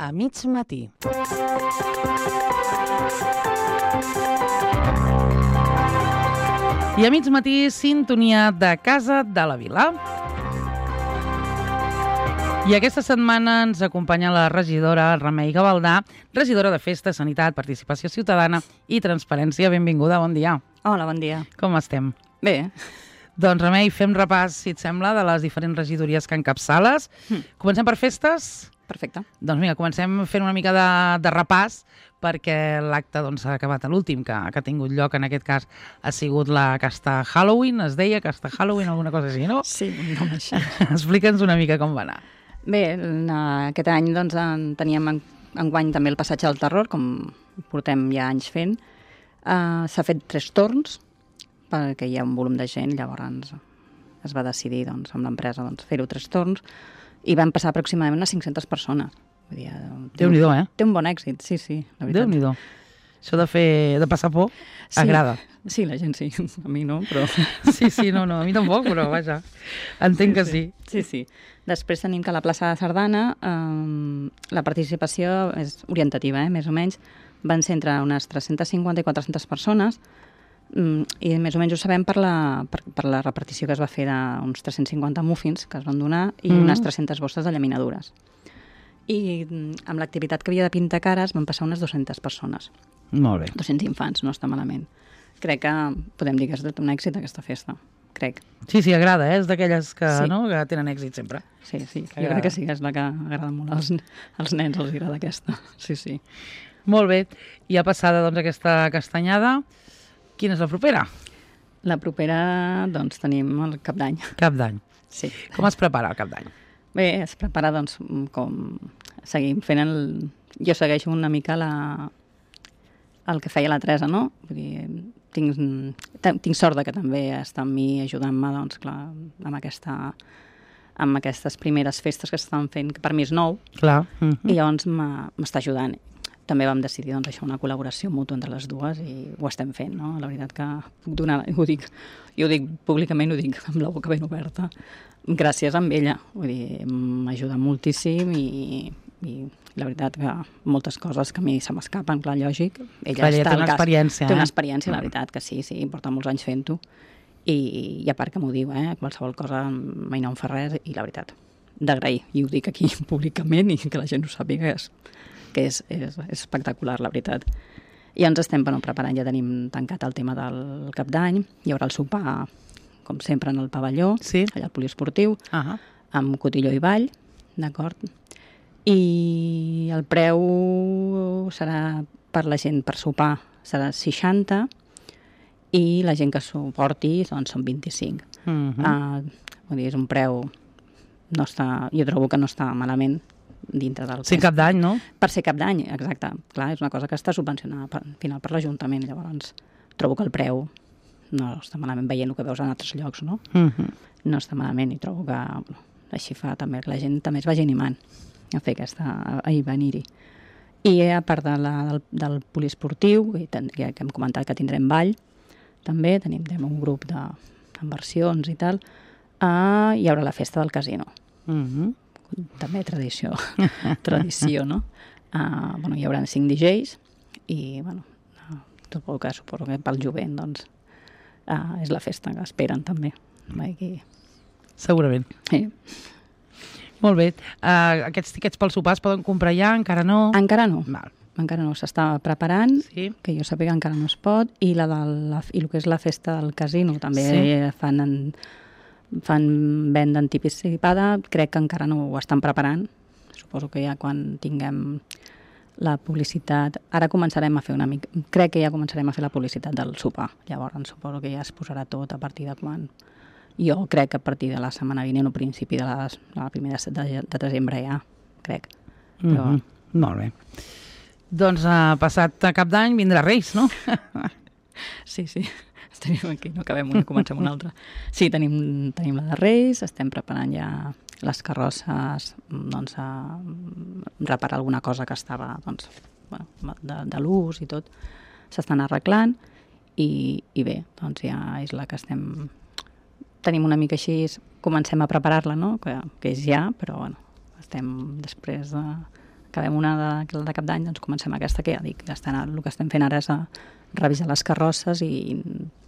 a mig matí. I a mig matí, sintonia de Casa de la Vila. I aquesta setmana ens acompanya la regidora Remei Gavaldà, regidora de Festa, Sanitat, Participació Ciutadana i Transparència. Benvinguda, bon dia. Hola, bon dia. Com estem? Bé. Doncs, Remei, fem repàs, si et sembla, de les diferents regidories que encapçales. Comencem per festes? Perfecte. Doncs mira, comencem fent una mica de repàs, perquè l'acte s'ha acabat a l'últim que ha tingut lloc, en aquest cas ha sigut la Casta Halloween, es deia Casta Halloween, alguna cosa així, no? Sí, un nom així. Explica'ns una mica com va anar. Bé, aquest any teníem enguany també el passatge del terror, com portem ja anys fent. S'ha fet 3 torns, perquè hi ha un volum de gent, llavors es va decidir amb l'empresa fer-ho 3 torns, i van passar aproximadament unes 500 persones. Déu-n'hi-do, eh? Té un bon èxit, sí, la veritat. Déu-n'hi-do. Això de passar por agrada. Sí, la gent sí, a mi no, però... Sí, no, a mi tampoc, però vaja, entenc que sí. Sí. Després tenim que a la plaça de Sardana la participació és orientativa, més o menys. Van ser entre unes 350 i 400 persones, i més o menys ho sabem per la repartició que es va fer d'uns 350 muffins que es van donar i unes 300 bosses de llaminadures. I amb l'activitat que havia de pintar cares van passar unes 200 persones. Molt bé. 200 infants, no està malament. Crec que podem dir que és un èxit aquesta festa, crec. Sí, agrada, és d'aquelles que tenen èxit sempre. Sí, jo crec que sí, és la que agrada molt als nens, els agrada aquesta. Sí. Molt bé, i ha passada aquesta castanyada. Quina és la propera? La propera, tenim el Cap d'Any. Cap d'Any. Sí. Com es prepara el Cap d'Any? Bé, es prepara, com seguim fent Jo segueixo una mica el que feia la Teresa, no? Vull dir, tinc sort que també està amb mi ajudant-me, clar, amb aquestes primeres festes que s'estan fent, que per mi és nou. Clar. I llavors m'està ajudant. També vam decidir això, una col·laboració mútua entre les dues, i ho estem fent, no? La veritat que puc donar, jo ho dic públicament, ho dic amb la boca ben oberta, gràcies a ella. Vull dir, m'ajuda moltíssim i la veritat que moltes coses que a mi se m'escapen, clar, lògic. Ella té una experiència. Té una experiència, la veritat que sí, porta molts anys fent-ho, i a part que m'ho diu, qualsevol cosa mai no em fa res, i la veritat, d'agrair, i ho dic aquí públicament i que la gent ho sàpiga, que és espectacular, la veritat. I ens estem preparant, ja tenim tancat el tema del Cap d'Any, hi haurà el sopar, com sempre, en el pavelló, allà al poliesportiu, amb cotilló i ball, d'acord? I el preu serà per la gent per sopar, serà 60, i la gent que suporti són 25. Vull dir, és un preu, jo trobo que no està malament, dintre del... Sí, Cap d'Any, no? Per ser Cap d'Any, exacte. Clar, és una cosa que està subvencionada al final per l'Ajuntament, llavors trobo que el preu no està malament, veient el que veus en altres llocs, no? No està malament, i trobo que així fa també que la gent també es vagi animant a fer a venir-hi. I a part del poliesportiu, que hem comentat que tindrem ball, també tenim un grup d'inversions i tal, hi haurà la festa del casino. També tradició, no? Hi haurà 5 DJs i, suposo que pel jovent, és la festa que esperen també. Segurament. Sí. Molt bé. Aquests tiquets pel sopar es poden comprar ja? Encara no? Encara no. Encara no, s'està preparant, que jo sàpiga encara no es pot, i el que és la festa del casino també fan venda anticipada, crec que encara no ho estan preparant. Suposo que ja quan tinguem la publicitat, ara començarem a fer crec que ja començarem a fer la publicitat del sopar, llavors suposo que ja es posarà tot a partir de quan. Jo crec que a partir de la setmana vinent o principi de la primera de desembre ja, crec. Però... Molt bé. Doncs passat Cap d'Any vindrà Reis, no? Sí. Tenim aquí, no acabem una, comencem una altra. Sí, tenim la de Reis, estem preparant ja les carrosses, a reparar alguna cosa que estava de l'ús i tot. S'estan arreglant i bé, ja és la que tenim una mica així, comencem a preparar-la, no? Que és ja, però estem després acabem una de cap d'any, doncs comencem aquesta, que ja dic, el que estem fent ara és revisar les carrosses i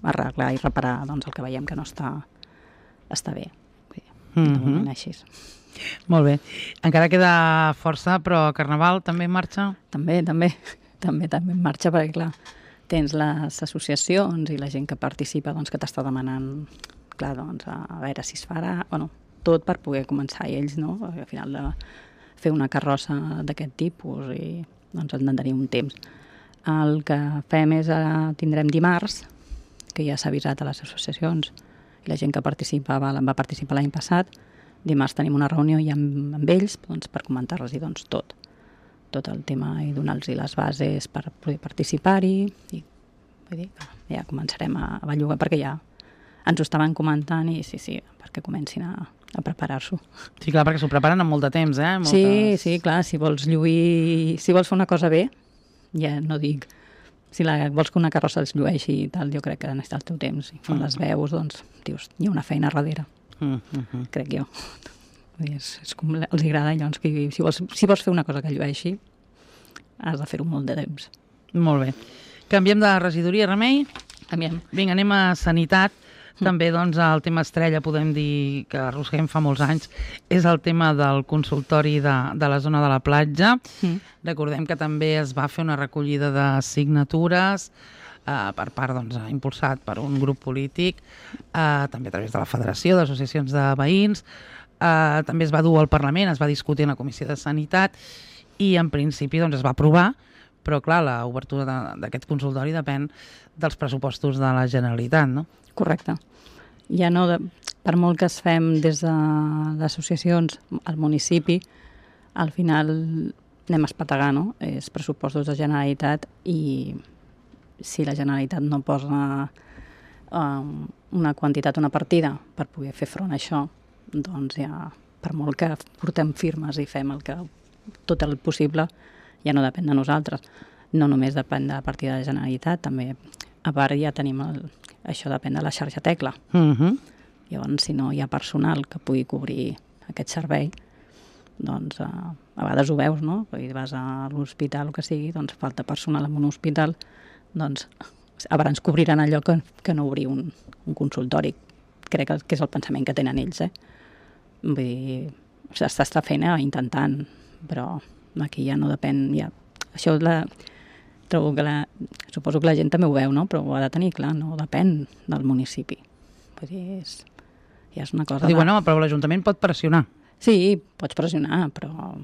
arreglar i reparar doncs, el que veiem que no està bé. De moment així. Molt bé. Encara queda força, però Carnaval també en marxa? També en marxa, perquè clar, tens les associacions i la gent que participa doncs, que t'està demanant, clar, doncs, a veure si es farà, bueno, tot per poder començar, i ells, no? Al final de fer una carrossa d'aquest tipus i doncs han de tenir un temps. El que fem és, tindrem dimarts, que ja s'ha avisat a les associacions, i la gent que va participar l'any passat, dimarts tenim una reunió ja amb ells doncs, per comentar-los doncs, tot el tema i donar-los les bases per poder participar-hi, i vull dir que ja començarem a bellugar, perquè ja ens ho estaven comentant i sí, perquè comencin a preparar-s'ho. Sí, clar, perquè s'ho preparen amb molt de temps, eh? Sí, clar, si vols lluir, si vols fer una cosa bé, ja no dic, si vols que una carrossa es llueixi i tal, jo crec que necessita el teu temps. I quan les veus, doncs, dius, hi ha una feina darrere, crec jo. És com els agrada, llavors, que si vols fer una cosa que llueixi, has de fer-ho molt de temps. Molt bé. Canviem de regidoria, Remei? Canviem. Vinga, anem a Sanitat. També, doncs, el tema estrella, podem dir que arrosseguem fa molts anys, és el tema del consultori de la zona de la platja. Recordem que també es va fer una recollida de signatures per part, doncs, impulsat per un grup polític, també a través de la Federació d'Associacions de Veïns. També es va dur al Parlament, es va discutir en la Comissió de Sanitat i, en principi, doncs, es va aprovar, però, clar, l'obertura d'aquest consultori depèn dels pressupostos de la Generalitat, no? Correcte. Ja no, per molt que es fem des de les associacions al municipi, al final anem a espetegar, no? És pressupostos de Generalitat, i si la Generalitat no posa una quantitat, una partida per poder fer front a això, doncs ja, per molt que portem firmes i fem tot el possible, ja no depèn de nosaltres. No només depèn de la partida de la Generalitat, també a part ja tenim això depèn de la xarxa Tecla. Llavors, si no hi ha personal que pugui cobrir aquest servei, doncs a vegades ho veus, no? Vas a l'hospital o que sigui, doncs falta personal en un hospital, doncs a vegades cobriran allò que no obrir un consultori. Crec que és el pensament que tenen ells, Vull dir, s'està fent intentant, però aquí ja no depèn, això trobo que suposo que la gent també ho veu, no? Però ho ha de tenir clar, no depèn del municipi. Vull dir, ja és una cosa... Bueno, però l'Ajuntament pot pressionar. Sí, pots pressionar, però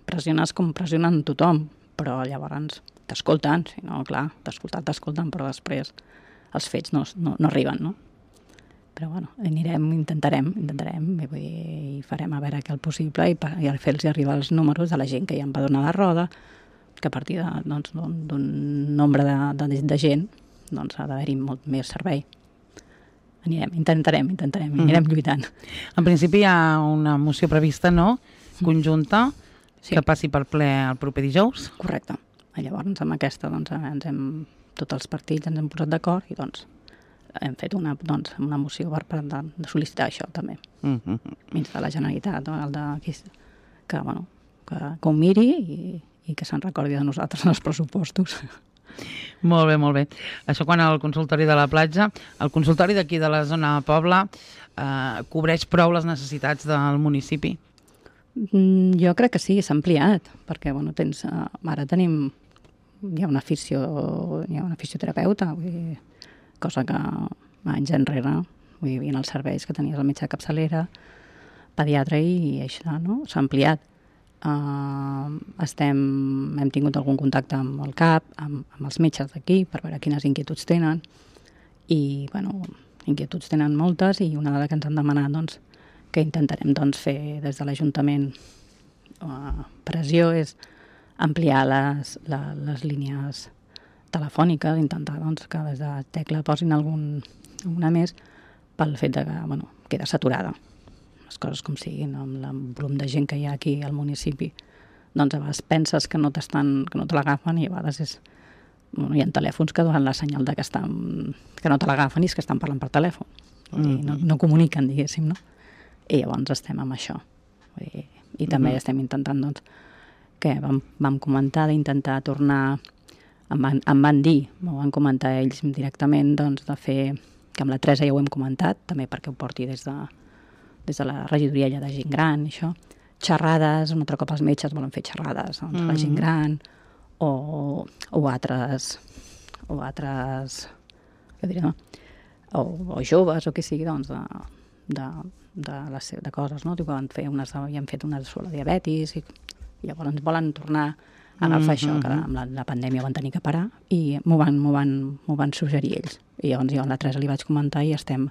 pressiones com pressionen tothom, però llavors t'escolten, si no, clar, t'escolten, però després els fets no arriben, no? Però bueno, intentarem, i farem a veure què el possible i fer-los arribar els números de la gent que ja em va donar la roda, que a partir d'un nombre de gent doncs ha d'haver-hi molt més servei. Intentarem, anirem lluitant. En principi hi ha una moció prevista, no?, conjunta, que passi per ple el proper dijous. Correcte. Llavors, amb aquesta, tots els partits ens hem posat d'acord i hem fet una moció per sol·licitar això també. Dins de la Generalitat, que ho miri i que se'n recordi de nosaltres en els pressupostos. Molt bé. Això quan el consultori de la platja, el consultori d'aquí de la zona de Pobla, cobreix prou les necessitats del municipi? Jo crec que sí, s'ha ampliat, perquè ara hi ha una fisioterapeuta, cosa que anys enrere hi havia els serveis que tenies el metge de capçalera, pediatre i això, no? S'ha ampliat. Hem tingut algun contacte amb el CAP, amb els metges d'aquí, per veure quines inquietuds tenen, i inquietuds tenen moltes, i una de les que ens han demanat que intentarem fer des de l'Ajuntament pressió és ampliar les línies telefòniques, intentar que des de Tecla posin alguna més, pel fet que queda saturada. Les coses com siguin, amb el volum de gent que hi ha aquí al municipi, a vegades penses que no te l'agafen, i a vegades hi ha telèfons que donen la senyal que no te l'agafen i és que estan parlant per telèfon. No comuniquen, diguéssim, no? I llavors estem amb això. I també estem intentant que vam comentar d'intentar tornar, em van dir, m'ho van comentar ells directament, doncs de fer, que amb la Teresa ja ho hem comentat, també perquè ho porti des de la regidoria ja de gent gran, això, xerrades, un altre cop els metges volen fer xerrades, doncs, la gent gran, o altres, què diré, no? O joves, o què sigui, doncs, de coses, no? Diu que havien fet unes sobre diabetis, i llavors volen tornar a agafar això, que amb la pandèmia van tenir que parar, i m'ho van suggerir ells. I llavors jo a la Teresa li vaig comentar i estem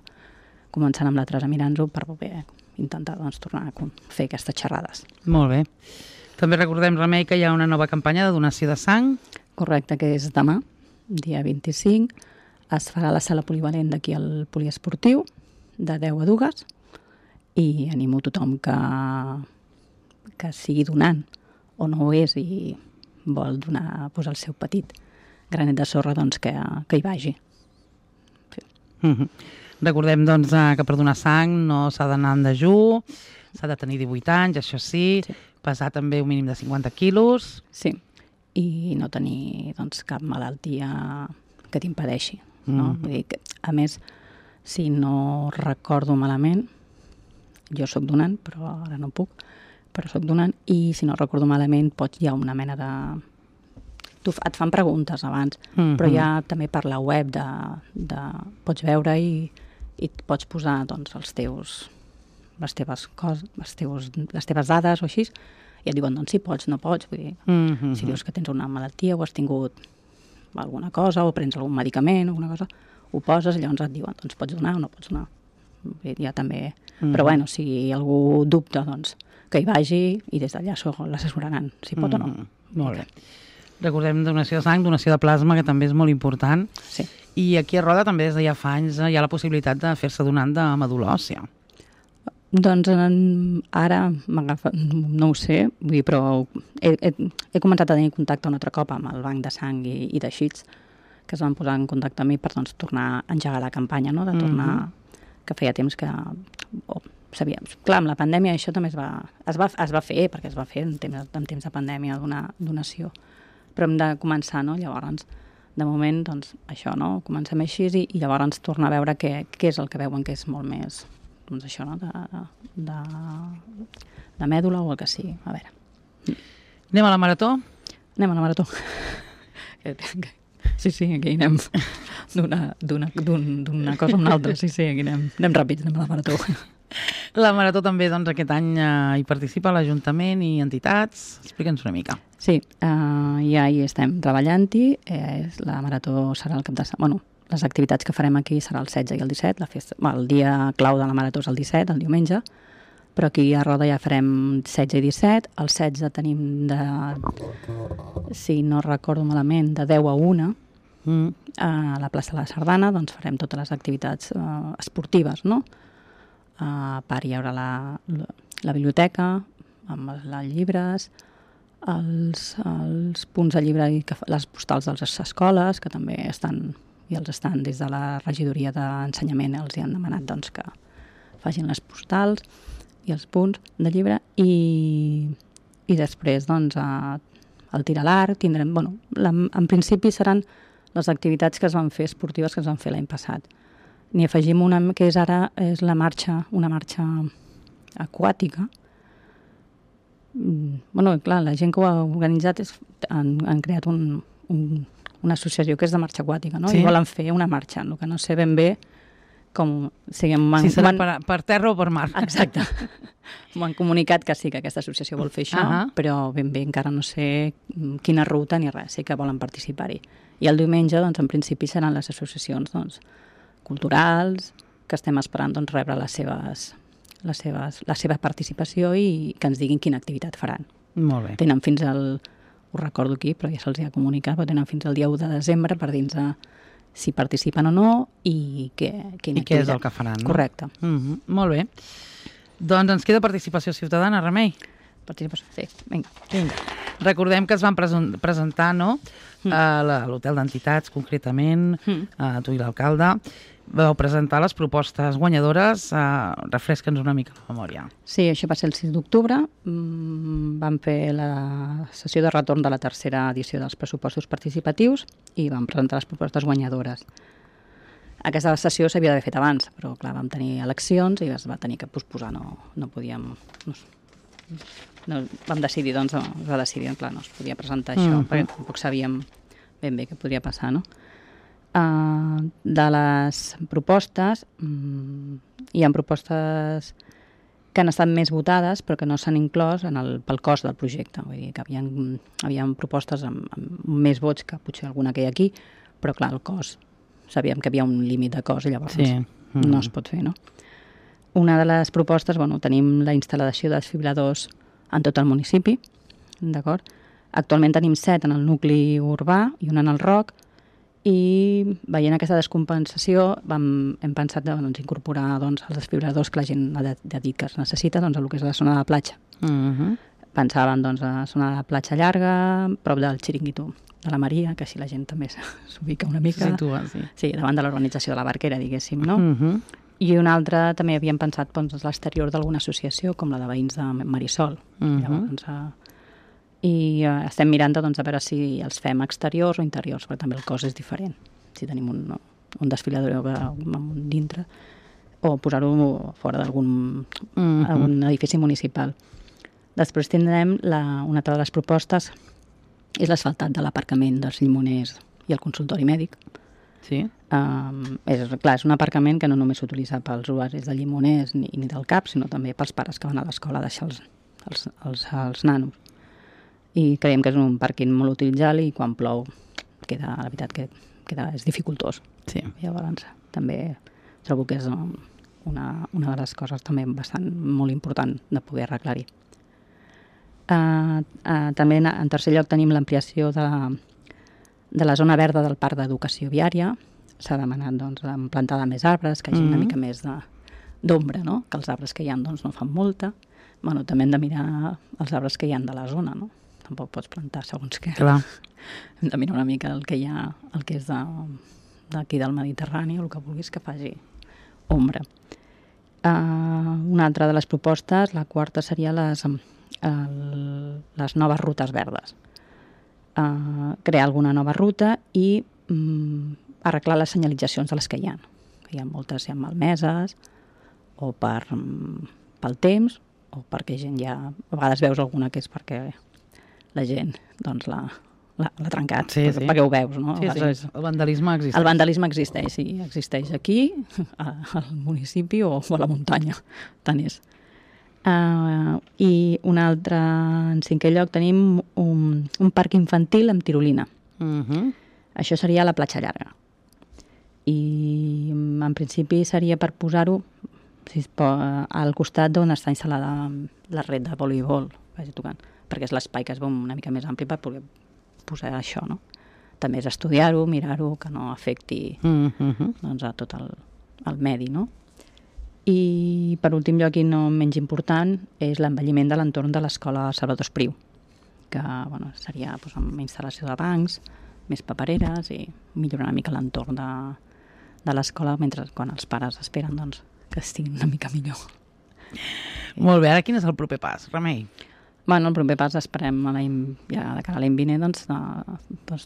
començant amb la Teresa mirant-ho per poder intentar doncs, tornar a fer aquestes xerrades. Molt bé. També recordem, Remei, que hi ha una nova campanya de donació de sang. Correcte, que és demà, dia 25. Es farà a la sala polivalent d'aquí al poliesportiu, de 10 a 2, i animo tothom que sigui donant o no ho és i vol donar el seu petit granet de sorra, doncs que hi vagi. Sí. Recordem doncs, que per donar sang no s'ha d'anar en dejú, s'ha de tenir 18 anys, això sí, pesar també un mínim de 50 quilos. Sí, i no tenir doncs, cap malaltia que t'impedeixi. No? Vull dir que, a més, si no recordo malament, jo sóc donant, però ara no puc, però sóc donant, i si no recordo malament hi ha una mena de... Et fan preguntes abans, però ja també per la web pots veure i pots posar doncs, les teves dades o així, i et diuen doncs, si pots, no pots. Vull dir, si dius que tens una malaltia o has tingut alguna cosa o prens algun medicament o alguna cosa, ho poses i llavors et diuen doncs pots donar o no pots donar. Ja també... Però bueno, si algú dubta, doncs que hi vagi i des d'allà l'assessoraran, si pot o no. Molt bé. Recordem donació de sang, donació de plasma, que també és molt important. Sí. I aquí a Roda també des de ja fa anys hi ha la possibilitat de fer-se donant de medul·la òssia. Doncs ara m'agafa, no ho sé, vull dir, però he començat a tenir contacte un altre cop amb el banc de sang i teixits, que es van posar en contacte amb mi per doncs, tornar a engegar la campanya, no? De tornar, que feia temps que... Clar, amb la pandèmia això també es va fer, perquè es va fer en temps de pandèmia d'una donació, però hem de començar, no? Llavors, de moment, doncs, això, no? Comencem així i llavors tornar a veure què és el que veuen que és molt més, doncs això, no? De mèdula o el que sigui. A veure. Anem a la marató? Anem a la marató. Sí, aquí anem d'una cosa a una altra. Sí, aquí anem ràpids, anem a la marató. La marató també, doncs, aquest any hi participa l'Ajuntament i entitats. Explica'ns una mica. Sí, ja hi estem treballant-hi. La marató serà el cap de setmana. Bueno, les activitats que farem aquí serà el 16 i el 17. El dia clau de la marató és el 17, el diumenge, però aquí a Roda ja farem 16 i 17. El 16 tenim si no recordo malament, de 10 a 1 a la plaça de la Sardana, doncs farem totes les activitats esportives, no? A part hi haurà la biblioteca amb els llibres, els punts de llibre i les postals de les escoles, que també estan, i els estan des de la regidoria d'ensenyament, els hi han demanat doncs, que facin les postals i els punts de llibre, i després doncs, el tir a l'arc tindrem, bueno, en principi seran les activitats que es van fer esportives que es van fer l'any passat. N'hi afegim una que és ara una marxa aquàtica. Bueno, clar, la gent que ho ha organitzat han creat una associació que és de marxa aquàtica, no? Sí. I volen fer una marxa, el que no sé ben bé com... Si serà per terra o per mar. Exacte. M'han comunicat que sí, que aquesta associació vol fer això, però ben bé encara no sé quina ruta ni res, sí que volen participar-hi. I el diumenge, doncs, en principi seran les associacions, doncs, culturals, que estem esperant doncs, rebre la seva participació i que ens diguin quina activitat faran. Molt bé. Tenen fins ho recordo aquí, però ja se'ls ha comunicat, però tenen fins al dia 1 de desembre per dir-nos si participen o no i quina activitat. Què és el que faran, no? Correcte. Molt bé. Doncs ens queda participació ciutadana, Remei. Participació, sí. Vinga. Recordem que es van presentar, no?, a l'hotel d'entitats, concretament, a tu i l'alcalde, vau presentar les propostes guanyadores. Refresca'ns una mica la memòria. Sí, això va ser el 6 d'octubre. Vam fer la sessió de retorn de la tercera edició dels pressupostos participatius i vam presentar les propostes guanyadores. Aquesta sessió s'havia d'haver fet abans, però clar, vam tenir eleccions i es va tenir que posposar, no podíem... No, vam decidir, doncs, es va decidir, clar, no es podia presentar això, perquè tampoc sabíem ben bé què podria passar, no? De les propostes, hi ha propostes que han estat més votades però que no s'han inclòs pel cost del projecte. Vull dir que havia propostes amb més vots que potser alguna que hi ha aquí, però clar, el cost, sabíem que hi havia un límit de cost i llavors no es pot fer, no? Una de les propostes, tenim la instal·lació de desfibriladors en tot el municipi, d'acord? Actualment tenim 7 en el nucli urbà i un en el ROC, i veient aquesta descompensació hem pensat incorporar els desfibriladors que la gent ha dit que es necessita a el que és la zona de la platja. Pensàvem a la zona de la platja llarga, prop del xiringuito de la Maria, que així la gent també s'ubica una mica. Situa, sí. Sí, davant de l'organització de la Barquera, diguéssim, no? I una altra també havíem pensat a l'exterior d'alguna associació, com la de veïns de Marisol. Llavors, i estem mirant a veure si els fem exteriors o interiors, perquè també el cost és diferent. Si tenim un desfilador dintre o posar-ho fora d'algun edifici municipal. Després tindrem una altra de les propostes, és l'asfaltat de l'aparcament dels llimoners i el consultori mèdic. Sí. És un aparcament que no només s'utilitza pels usuaris de llimoners ni del CAP, sinó també pels pares que van a l'escola a deixar els nanos. I creiem que és un pàrquing molt utilitzat i quan plou la veritat que és dificultós. Sí. Llavors també trobo que és una de les coses també molt important de poder arreglar-hi. També en tercer lloc tenim l'ampliació de la zona verda del parc d'educació viària. S'ha demanat plantar més arbres, que hi hagi una mica més d'ombra, no? Que els arbres que hi ha no fan molta. També hem de mirar els arbres que hi ha de la zona, no? Tampoc pots plantar segons què. Clar. Hem de mirar una mica el que hi ha, el que és d'aquí del Mediterrani, o el que vulguis que faci ombra. Una altra de les propostes, la quarta, seria les noves rutes verdes. Crear alguna nova ruta i arreglar les senyalitzacions de les que hi ha. Hi ha moltes ja malmeses, o pel temps, o perquè gent ja... A vegades veus alguna que és perquè la gent l'ha trencat, perquè ho veus, no? Sí. El vandalisme existeix. El vandalisme existeix, sí. Existeix aquí, al municipi o a la muntanya. Tant és. I un altre, en cinquè lloc, tenim un parc infantil amb tirolina. Això seria a la platja llarga. I en principi seria per posar-ho al costat d'on està instal·lada la red de voleibol, perquè és l'espai que es veu una mica més ampli per poder posar això, no? També és estudiar-ho, mirar-ho, que no afecti a tot el medi, no? I per últim lloc, i no menys important, és l'envelliment de l'entorn de l'escola Salvador Espriu, que seria amb instal·lació de bancs, més papereres i millorar una mica l'entorn de l'escola quan els pares esperen que estiguin una mica millor. Molt bé, ara quin és el proper pas, Remei? El proper pas esperem ja de cara a l'any vinent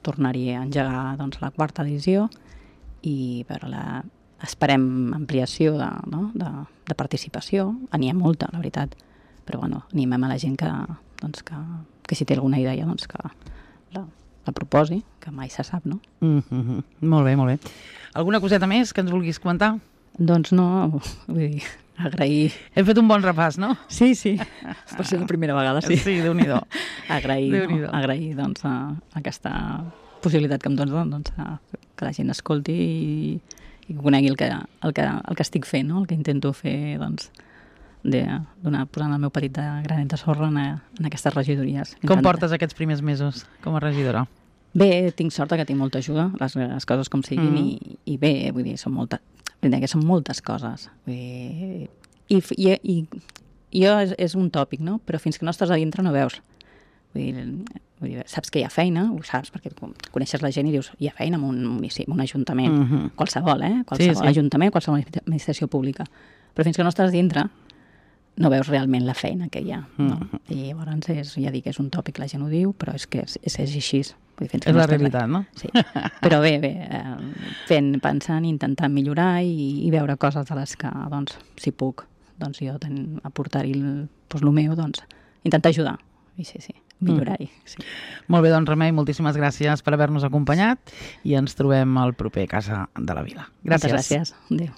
tornar-hi a engegar la quarta edició i esperem ampliació de participació. N'hi ha molta, la veritat, però animem a la gent que si té alguna idea que la proposi, que mai se sap, no? Molt bé, molt bé. Alguna coseta més que ens vulguis comentar? Doncs no, vull dir, agrair... Hem fet un bon repàs, no? Sí. Per ser la primera vegada, sí. Sí, Déu-n'hi-do. Agrair aquesta possibilitat que em dones que la gent escolti i que conegui el que estic fent, no? El que intento fer, posant el meu petit granet de sorra en aquestes regidories. Com portes aquests primers mesos com a regidora? Bé, tinc sort que tinc molta ajuda, les coses com siguin, i bé, vull dir, són moltes coses. I és un tòpic, no? Però fins que no estàs a dintre no veus. Vull dir, saps que hi ha feina, ho saps, perquè coneixes la gent i dius, hi ha feina en un municipi, en un ajuntament, qualsevol, qualsevol ajuntament, qualsevol administració pública. Però fins que no estàs dintre, no veus realment la feina que hi ha. No? I llavors, ja dic, és un tòpic, la gent ho diu, però és que és així. Vull dir, és la realitat, no? Sí. Però bé, pensant, intentant millorar i veure coses de les que, doncs, si puc, doncs jo aportar-hi el meu, doncs, intentar ajudar. I sí, millorar-hi. Sí. Molt bé, doncs Remei, moltíssimes gràcies per haver-nos acompanyat i ens trobem al proper Casa de la Vila. Gràcies. Moltes gràcies. Adéu.